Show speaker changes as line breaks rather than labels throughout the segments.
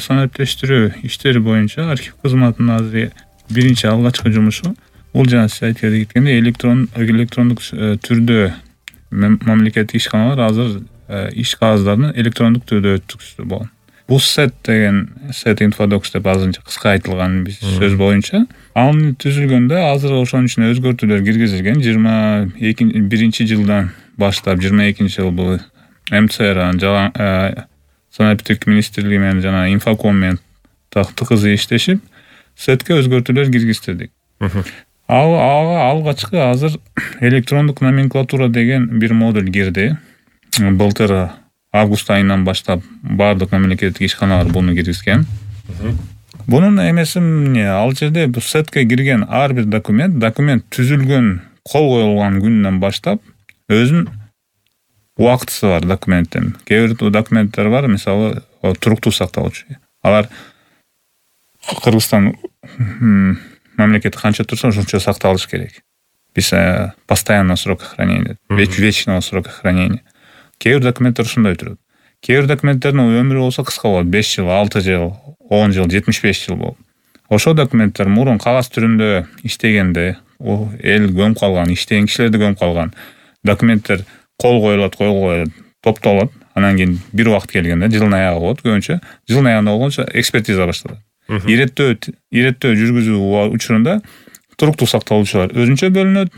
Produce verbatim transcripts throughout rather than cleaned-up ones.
санариптештирүү иштери боюнча архив кызматынын азыр биринчи алгачкы жумушу бул жана сиз айтып кеткендей электрон электрондук түрдө мамлекеттик ишканалар азыр иш кагаздарын электрондук түрдө өткөзүшү болгон. Бул сет деген сет инфодокс деп азырынча кыска айтылган биз сөз боюнча аны түзүлгөндө азыр ошонун ичине өзгөртүүлөр киргизилген. жыйырма биринчи жылдан баштап жыйырма экинчи жыл бул МЦР жана санариптик министрлиги менен жана инфоком менен тыкыз иштешип сетке өзгөртүүлөр киргизтирдик. Ал ага алгачкы азыр электрондук номенклатура деген бир модуль кирди. Былтыр август айынан баштап баардык мамлекеттик ишканалар буну киргизген. Бунун эмеси эмне? Ал жерде бул сетке кирген ар бир документ, документ түзүлгөн, кол коюлган күндөн баштап өзүнүн убактысы бар документтин. Кээ бир документтер бар, мисалы, туруктуу сакталчу. Алар Кыргызстан мамлекети канча турса ошончо сакталыш керек. Биз постоянный срок хранения, вечного срока хранения. Кээ бир документтер ушундай турат. Кээ бир документтердин өмүрү болсо кыска болот, беш жыл, алты жыл, он жыл, жетимиш беш жыл болот. Ошол документтер мурун кагаз түрүндө иштегенде, эл көмүп калган, иштеген кишилерди көмүп калган документтер кол коюлат, кол коюлат, топтолот. Анан кийин бир убакыт келгенде жылдын аягы болот, көбүнчө жылдын аягында болгончо экспертиза башталат. Иреттөө иреттөө жүргүзүү учурунда туруктуу сакталуучулар өзүнчө бөлүнөт,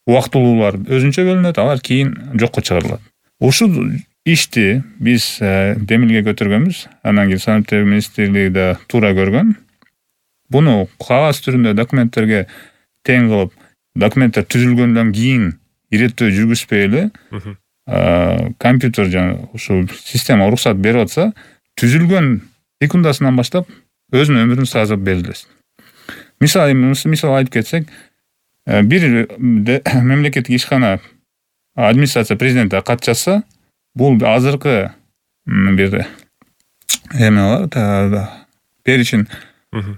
убактылуулар өзүнчө бөлүнөт, алар кийин жокко чыгарылат. Ушул ишти биз демилге көтөргөнбүз. Анан кийин санариптик министрлиги да туура көргөн. Буну кагаз түрүндө документтерге тең кылып, документтер түзүлгөндөн кийин иреттөө жүргүзбөй эле компьютер жана ушул система уруксат берип атса, түзүлгөн секундасынан баштап өзүнүн өмүрүн сразу белгилесин. Мисалы, мисалы айтып кетсек, бир мамлекеттик ишкана администрация президентке кат жазса, бул азыркы бир эме бар, перечень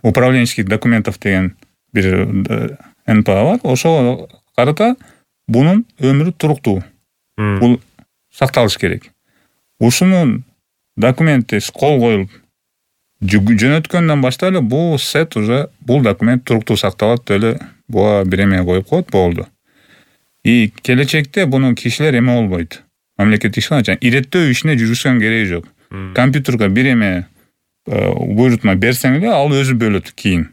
управленческих документов деген бир эн пэ а бар. Ошого карата бунун өмүрү туруктуу. Бул сакталыш керек. Ушунун документи кол коюлуп жөнөткөндөн баштап эле бул сет уже бул документ туруктуу сакталат эле, буга бир эме коюп коет, болду. И келечекте буну кишилер эме болбойт. Мамлекеттик ишкана иреттөө ишине жүргүзгөн кереги жок. Компьютерге бир эме буйрутма берсең эле, ал өзү бөлөт кийин.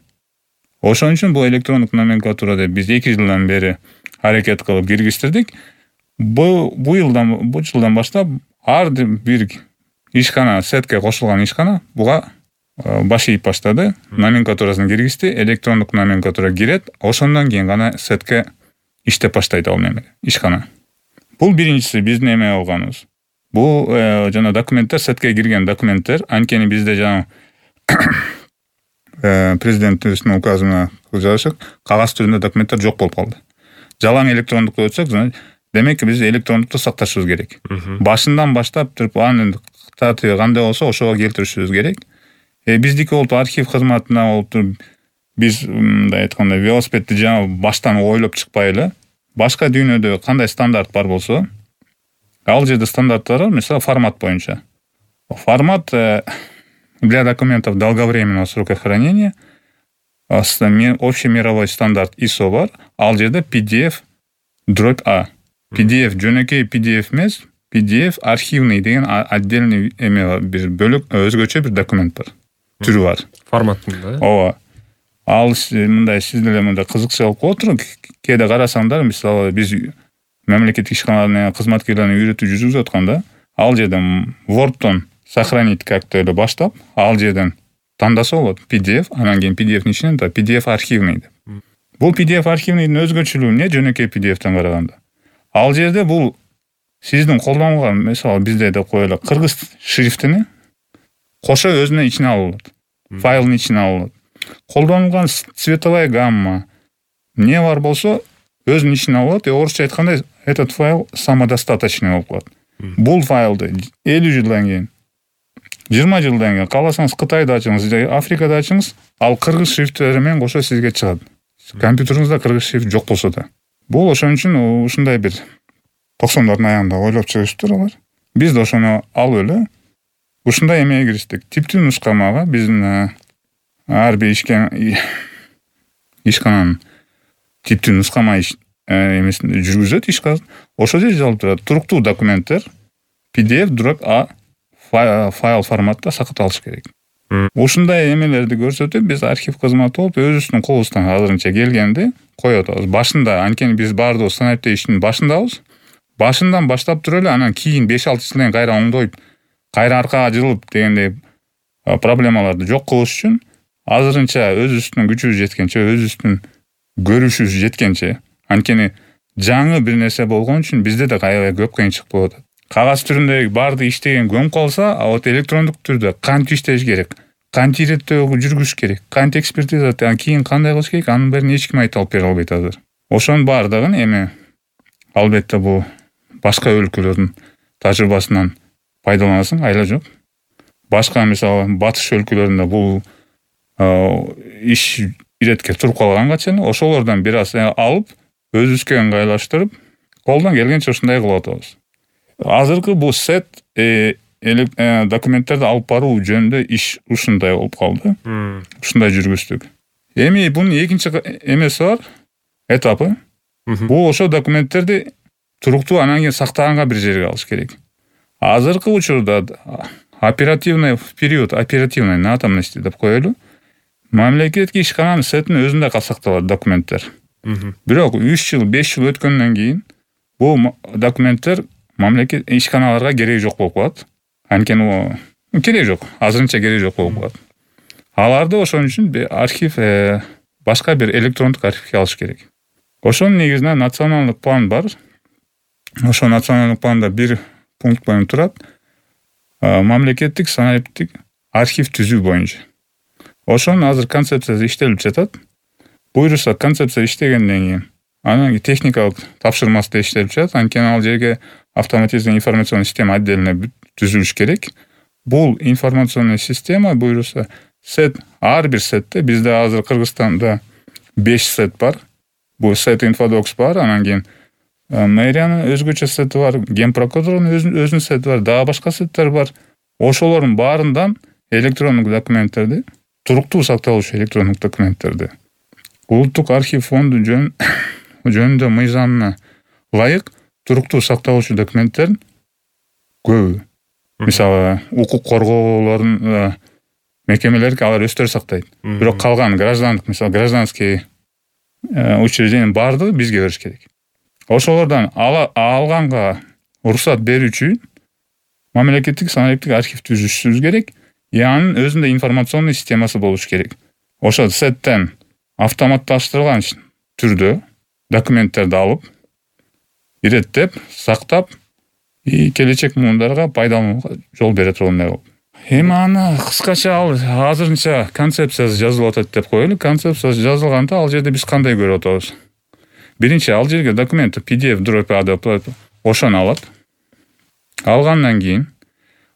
Ошон үчүн бул электрондук номенклатура деп биз эки жылдан бери аракет кылып киргизтирдик. Бу жылдан, бу жылдан баштап ар бир ишкана, сетке кошулган ишкана буга баш ийип баштады. Номенклатурасын киргизди, электрондук номенклатура кирет, ошондон кийин гана сетке иштеп баштайт ал неме, ишкана. Бул биринчиси биздин эме болгонубуз. Бул жана документтер, сетке кирген документтер, анткени бизде жана президенттин указына жарашып кагаз түрүндө документтер жок болуп калды. Жалаң электрондукка өтсөк, демек биз электрондукту сакташыбыз керек. Башынан баштап туруп анын тартиби кандай болсо ошого келтиришибиз керек. Э биздики болуп архив кызматына болуп биз мындай айтканда велосипедти жаңы баштан ойлоп чыкпай эле, башка дүйнөдө кандай стандарт бар болсо, ал жерде стандарттар бар, мисалы формат боюнча. Формат для документов долговременного срока хранения общий мировой стандарт ай эс о бар, ал жерде пи ди эф дробь А. пи ди эф жөнөкөй пи ди эф эмес, пи ди эф архивный деген отдельный эме бир бөлөк өзгөчө бир документ бар. Түрү бар.
Форматында.
Ооба. Ал мындай сиз деле мындай кызыкчылык болуп туруп, кээде карасаңдар, мисалы биз мамлекеттик ишканалардын кызматкерлерин үйрөтүү жүргүзүп атканда, ал жерден Word'тон сохранить как-то эле баштап, ал жерден тандаса болот пи ди эф, анан кийин пи ди эф ичинен да пи ди эф архивный деп. Бул пи ди эф архивныйдын өзгөчөлүгү эмне жөнөкөй пи ди эфтен караганда? Ал жерде бул сиздин колдонгон, мисалы бизде деп коелу, кыргыз шрифтини кошо өзүнө ичине алат. Файлдын ичине алат. Колдонулган цветовая гамма не бар болсо өзүнүн ичине алат. Орусча айтканда этот файл самодостаточный болуп калат. Бул файлды элүү жылдан кийин, жыйырма жылдан кийин кааласаңыз Кытайда ачыңыз, Африкада ачыңыз, ал кыргыз шрифттери менен кошо сизге чыгат. Компьютериңизде кыргыз шрифт жок болсо да. Бул ошон үчүн ушундай бир токсондордун аягында ойлоп чыгышыптыр алар. Биз да ошону алып эле ушундай эмеге кириштик. Типтүү нускамага биздин ар бир ишке ишкананын типтүү нускама эмесин жүргүзөт ишканасы. Ошол жерде жазылып турат. Туруктуу документтер пи ди эф А файл форматта сакталыш керек. Ушундай эмелерди көрсөтүп, биз архив кызматы болуп өзүбүздүн колубуздан азырынча келгенди коюп атабыз. Башында анткени биз баардыгыбыз санариптик иштин башындабыз. Башындан баштап туруп эле анан кийин беш алты жылдан кайра оңдоюп, кайра аркага жылып дегендей проблемаларды жок кылыш үчүн азырынча өзүбүздүн күчүбүз жеткенче, өзүбүздүн көрүшүбүз жеткенче, анткени жаңы бир нерсе болгон үчүн бизде да аябай көп кыйынчылык болуп атат. Кагаз түрүндөгү баардык иштеген көнүп калса, а вот электрондук түрдө кантип иштеш керек, кантип иреттөө жүргүзүш керек, кантип экспертиза, анан кийин кандай кылыш керек, анын баарын эч ким айта алып бере албайт азыр. Ошонун баардыгын эми албетте бул башка өлкөлөрдүн тажрыйбасынан пайдаланасың, айла жок. Башка мисалы батыш өлкөлөрүндө бул иш иретке туруп калганга чейин ошолордон бир аз алып, өзүбүзгө ыңгайлаштырып, колдон келгенче ушундай кылып атабыз. Азыркы бул сет документтерди алып баруу жөнүндө иш ушундай болуп калды. Ушундай жүргүздүк. Эми бунун экинчи эмеси бар, этапы. Бул ошо документтерди туруктуу анан кийин сактаганга бир жерге алыш керек. Азыркы учурда оперативный период, оперативный натамности деп коелу. Мамлекеттик ишкананын сетин өзүндө сакталат документтер. Бирок үч жыл, беш жыл өткөндөн кийин бул документтер мамлекет ишканаларга кереги жок болуп калат. Анткени кереги жок, азырынча кереги жок болуп калат. Аларды ошон үчүн архив, башка бир электрондук архивге алыш керек. Ошонун негизинде националдык план бар. Ошо националдык планда бир пункт боюнча турат. Мамлекеттик санариптик архив түзүү боюнча. Ошонун азыр концепциясы иштелип жатат. Буюрса концепция иштегенден кийин анан техникалык тапшырмасы да иштелип жатат. Анткени ал жерге автоматизированный информационный система отдельно түзүлүш керек. Бул информационный система буюрса сет, ар бир сетте бизде азыр Кыргызстанда беш сет бар. Бул сет инфодокс бар, анан кийин мэриянын өзгөчө сети бар, ген прокуратуранын өзүнүн сети бар, дагы башка сеттер бар. Ошолордун баарынан электрондук документтерди, туруктуу сакталуучу электрондук документтерди улуттук архив фонду жөнүндө мыйзамына ылайык туруктуу сакталуучу документтердин көбү. Мисалы, укук коргоолордун мекемелери алар өздөрү сактайт. Бирок калган граждандык, мисалы, гражданский учреждениянын баардыгы бизге бериш керек. Ошолордон алганга уруксат берүүчү мамлекеттик санариптик архив түзүшүбүз керек. Анын өзүндө информационный системасы болуш керек. Ошол сеттен автоматташтырылган түрдө документтерди алып, иреттеп, сактап, и келечек муундарга пайдаланууга жол бере тургандай болуп. Эми аны кыскача ал азырынча концепциясы жазылып атат деп коелу. Концепциясы жазылганда ал жерде биз кандай көрүп атабыз? Биринчи, ал жерге документ пи ди эф деп ошону алат. Алгандан кийин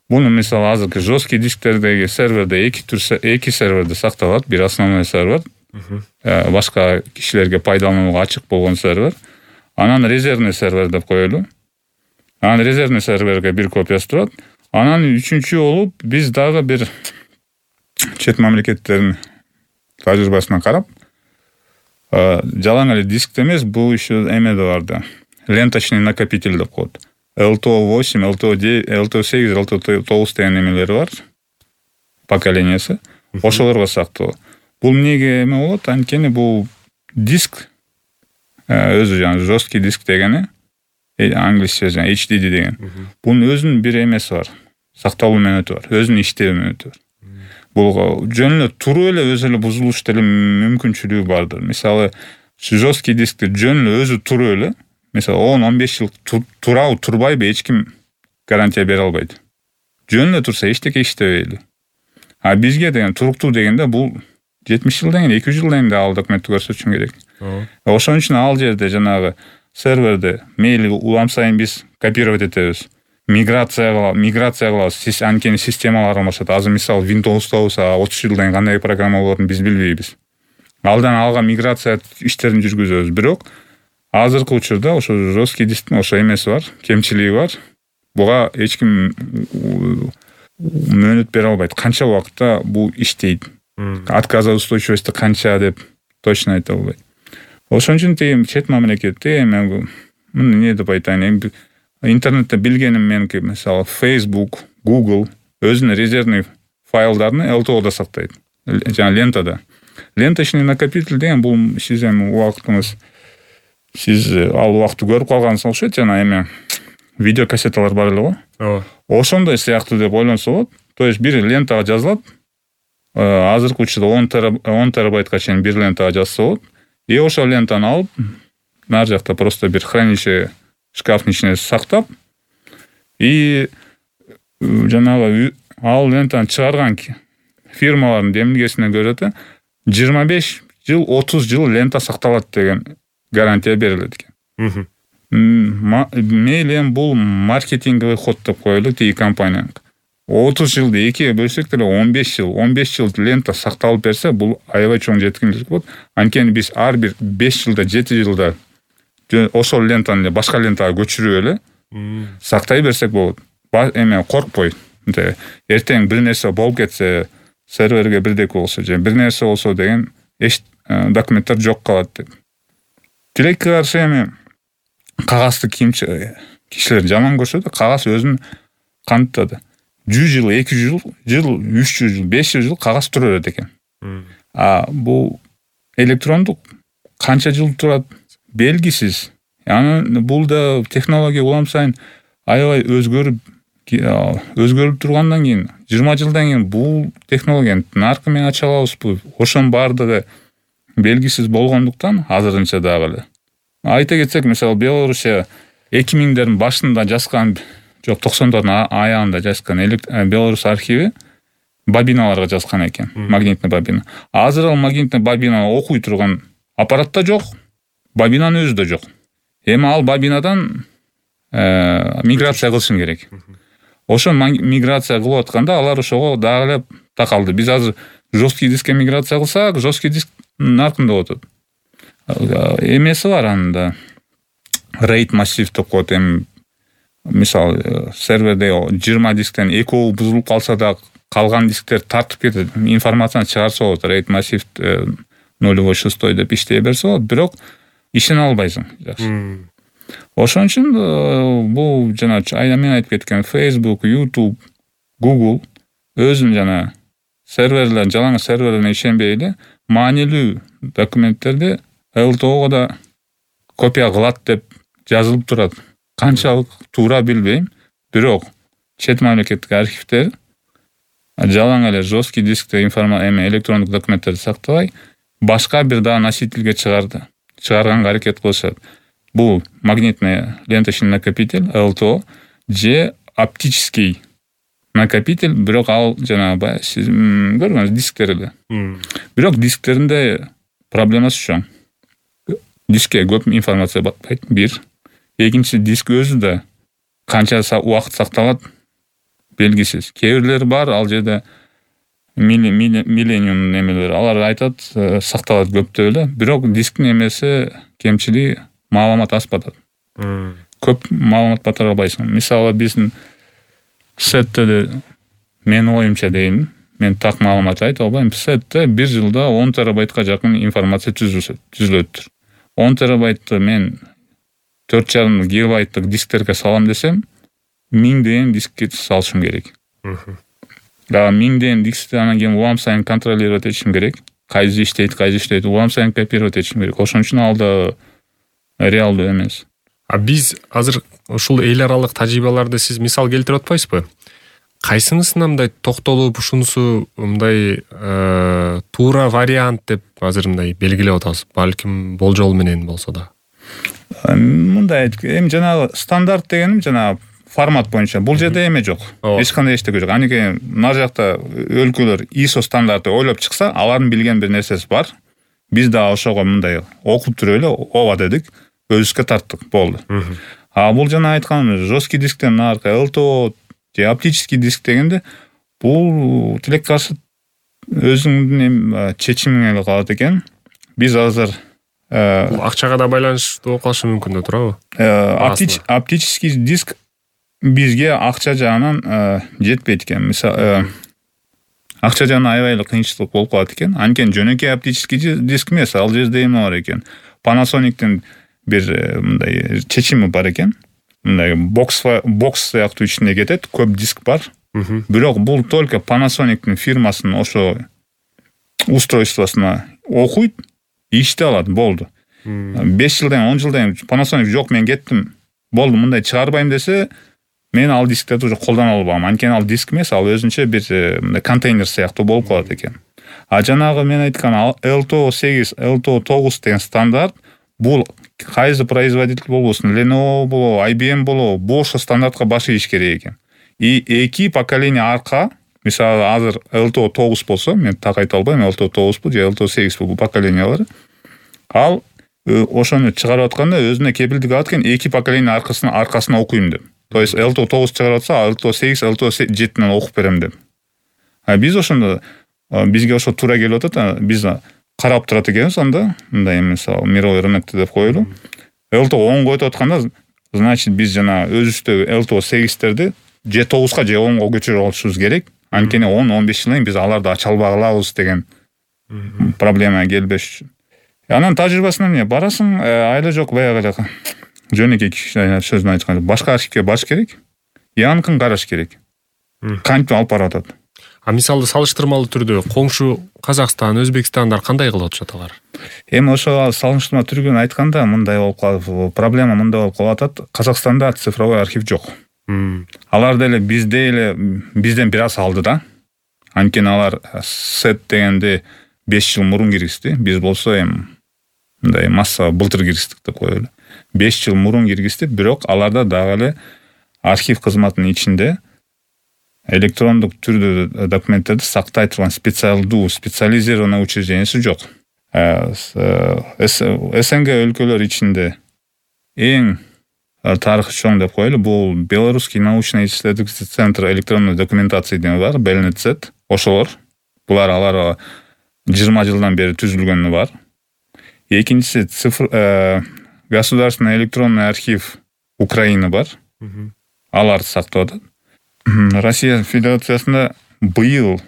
буну мисалы азыркы жесткий дисктердеги серверде эки түр эки серверде сакталат. Бир основной сервер, башка кишилерге пайдаланууга ачык болгон сервер. Анан резервный сервер деп коелу. Анан резервный серверге бир копиясы турат. Анан үчүнчү болуп биз дагы бир чет мамлекеттердин тажрыйбасына карап, жалаң эле дискте эмес, бул еще эмеде бар да. Ленточный накопитель деп коет. эл ти о восемь, эл ти о девять, эл ти о сегиз, эл ти о тогуз деген эмелери бар. Поколениясы. Ошолорго сактоо. Бул эмнеге эме болот? Анткени бул диск өзү жана жесткий диск дегени, англисче жана эйч ди ди деген. Бунун өзүнүн бир эмеси бар. Сакталуу мөөнөтү бар. Өзүнүн иштөө мөөнөтү бар. Бул жөн эле туруп эле өзү эле бузулуш деле мүмкүнчүлүгү бардыр. Мисалы, жесткий дискти жөн эле өзү туруп эле, мисалы он он беш жыл турабы, турбайбы эч ким гарантия бере албайт. Жөн эле турса эчтеке иштебейли. А бизге деген туруктуу дегенде бул жетимиш жылдан кийин, эки жүз жылдан кийин ал документти көрсөтүшүң керек. Ошон үчүн ал жерде жанагы серверде мейли улам сайын биз копировать этебиз. Миграция миграция кылабыз. Анткени системалар алмашат. Азыр мисалы Windows'та отуз жылдан кийин кандай программа болорун биз билбейбиз. Алдан алга миграция иштерин жүргүзөбүз. Бирок азыркы учурда ошо жесткий дисктин ошо эмеси бар, кемчилиги бар. Буга эч ким мөөнөт бере албайт. Канча убакытта бул иштейт, отказоустойчивости канча деп точно айта албайт. Ошон үчүн тиги чет мамлекетте мен муну эмне деп айтайын, интернетте билгеним меники, мисалы Facebook, Google өзүнүн резервный файлдарын эл ти о'да сактайт. Жана лентада. Ленточный накопитель деген бул сиздин убактыңыз, сиз ал убакытты көрүп калгансыз окшойт, жана эме видеокассеталар бар эле го.
Ооба.
Ошондой сыяктуу деп ойлонсо болот. То есть бир лентага жазылат. Азыркы учурда он терабайтка чейин бир лентага жазса болот. И ошол лентаны алып, нар жакта просто бир хранилище шкафтын ичине сактап, и жанагы ал лентаны чыгарган фирмалардын демилгесине көрө да жыйырма беш жыл, отуз жыл лента сакталат деген гарантия берилет экен. Мейли эми бул маркетинговый ход деп коелу тиги компания. отуз жылды экиге бөлсөк деле он беш жыл, он беш жыл лента сакталып берсе, бул аябай чоң жеткинчилик болот. Анткени биз ар бир беш жылда, жети жылда ошол лентаны башка лентага көчүрүп эле сактай берсек болот. Эме коркпой. Эртең бир нерсе болуп кетсе, серверге бирдеки болсо же бир нерсе болсо деген эч документтер жок калат деп. Тилекке каршы эми кагазды кишилер жаман көрсө да, кагаз өзүн кантады. жүз жыл, эки жүз жыл, үч жүз жыл, беш жүз жыл кагаз тура берет экен. А бул электрондук канча жыл турат белгисиз. Аны бул да технология улам сайын аябай өзгөрүп өзгөрүп тургандан кийин жыйырма жылдан кийин бул технологияны наркы менен ача алабызбы? Ошонун баардыгы белгисиз болгондуктан азырынча дагы эле. Айта кетсек, мисалы Белоруссия эки миңдердин башында жазган, жок токсондордун аягында жазган Беларусь архиви бобиналарга жазган экен, магнитный бобина. Азыр ал магнитный бобинаны окуй турган аппарат да жок, бобинанын өзү да жок. Эми ал бобинадан миграция кылышың керек. Ошо миграция кылып атканда алар ошого дагы эле такалды. Биз азыр жесткий дискке миграция кылсак, жесткий диск наркында отот. Эмеси бар анда. RAID массив деп коет. Эми мисалы серверде жыйырма дисктен экөө бузулуп калса да калган дисктер тартып кетет, информацияны чыгарса болот. RAID массив нулевой шестой деп иштей берсе болот, бирок ишине албайсың. Жакшы. Ошон үчүн бул жана мен айтып кеткен Facebook, YouTube, Google өзүн жана серверлер, жалаң серверлерге ишенбей эле маанилүү документтерди эл ти о'го да копия кылат деп жазылып турат. Канчалык туура билбейм, бирок чет мамлекеттик архивдер жалаң эле жесткий дискте информация эме электрондук документтерди сактабай, башка бир дагы носительге чыгарды. Чыгарганга аракет кылышат. Бул магнитный ленточный накопитель эл ти о же оптический накопитель, бирок ал жанагы сиз көргөнүз дисктер эле. Бирок дисктеринде проблемасы чоң. Дискке көп информация батпайт, бир. Экинчи, диск өзү да канча убакыт сакталат белгисиз. Кээ бирлери бар, ал жерде миллениум немелер, алар айтат сакталат көптөп эле, бирок дисктин эмеси кемчилиги маалымат аз батат. Көп маалымат батыра албайсың. Мисалы биздин сетте, мен оюмча дейм, мен так маалымат айта албайм. Сетте бир жылда он терабайтка жакын информация түзүлөт. он терабайтты мен төрт жарым гигабайттык дисктерге салам десем, миңдеген дискке салышым керек. Дагы миңдеген дискти анан кийин улам сайын контролировать этишим керек. Кайсы иштейт, кайсы иштейт, улам сайын копировать этишим керек. Ошон үчүн ал да реалдуу эмес.
А биз азыр ушул эл аралык тажрыйбаларды сиз мисал келтирип атпайсызбы? Кайсынысына мындай токтолуп, ушунусу мындай туура вариант деп азыр мындай белгилеп атасыз? Балким болжол менен болсо да.
Мындай эми жанагы стандарт дегеним жанагы формат боюнча. Бул жерде эме жок. Эч кандай эчтеке жок. Анткени нар жакта өлкөлөр ай эс о стандарты ойлоп чыкса, алардын билген бир нерсеси бар. Биз да ошого мындай окуп туруп эле ооба дедик, өзүбүзгө тарттык, болду. А бул жана айткан жесткий дисктен наркы эл ти о же оптический диск дегенде бул тилекке каршы өзүңдүн чечимиңе эле калат экен. Биз азыр
бул акчага да байланыштуу болуп калышы мүмкүн да турабы?
Оптический диск бизге акча жагынан жетпейт экен. Мисалы, акча жагынан аябай эле кыйынчылык болуп калат экен. Анткени жөнөкөй оптический диск эмес, ал жерде эме бар экен. Panasonic'тин бир мындай чечими бар экен. Мындай бокс бокс сыяктуу ичинде кетет, көп диск бар. Бирок бул только Panasonic'тин фирмасынын ошо устройствосуна окуйт, иште алат, болду. беш жылдан он жылдан Panasonic жок, мен кеттим, болду, мындай чыгарбайм десе, мен ал дисктерди уже колдоно албайм. Анткени ал диск эмес, ал өзүнчө бир мындай контейнер сыяктуу болуп калат экен. А жанагы мен айткан эл ти о сегиз, эл ти о тогуз деген стандарт, бул кайсы производитель болбосун, Lenovo болобу, ай би эм болобу, бул ошо стандартка баш ийиш керек экен. И эки поколение арка, мисалы азыр эл ти о тогуз болсо, мен так айта албайм, эл ти о тогузбу же эл ти о сегизбу, бул поколениялар. Ал ошону чыгарып атканда өзүнө кепилдик алат экен, эки поколение аркасына аркасына окуйм деп. То есть эл ти о тогуз чыгарып атса, эл ти о сегиз, эл ти о жетиден окуп берем деп. А биз ошондо бизге ошо туура келип атат, биз карап турат экенбиз анда, мындай мисалы мировой рынокто деп коелу. эл ти о онго өтүп атканда, значит биз жана өзүбүздөгү эл ти о сегизтерди же тогузга же онго көчүрүп алышыбыз керек. Анткени он он беш жылдан биз аларды ача албай калабыз деген проблема келбеш үчүн. Анан тажрыйбасынан эмне барасың, айла жок баягы эле жөнөкөй сөзүн айтканда башка архивге барыш керек. Янкын караш керек. Кантип алып барып атат.
А мисалы салыштырмалуу түрдө коңшу Казакстан, Өзбекстандар кандай кылып атышат алар?
Эми ошо салыштырма түргөн айтканда мындай болуп калат, проблема мындай болуп калып атат. Казакстанда цифровой архив жок. Алар деле бизде эле бизден бир аз алды да. Анткени алар сет дегенде беш жыл мурун киргизди. Биз болсо эми мындай масса былтыр киргиздик деп коелу. беш жыл мурун киргизди, бирок аларда дагы эле архив кызматынын ичинде электрондук түрдө документтерди сактай турган специалдуу, специализированный учреждениясы жок. эс эн гэ өлкөлөр ичинде эң тарыхы чоң деп коелу, бул Белорусский научно-исследовательский центр электронной документации деген бар, бэ эл эн зет. Ошолор. Булар алар жыйырма жылдан бери түзүлгөнү бар. Экинчиси цифр государственный электронный архив Украины бар. Алар сактап атат. Россия Федерациясында быйыл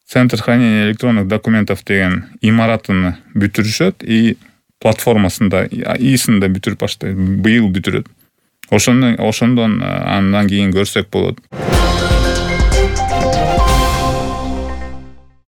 Центр хранения электронных документов деген имаратын бүтүрүшөт и платформасында ИИСин да бүтүрүп баштайт. Быйыл бүтүрөт. Ошондон ошондон андан кийин көрсөк болот.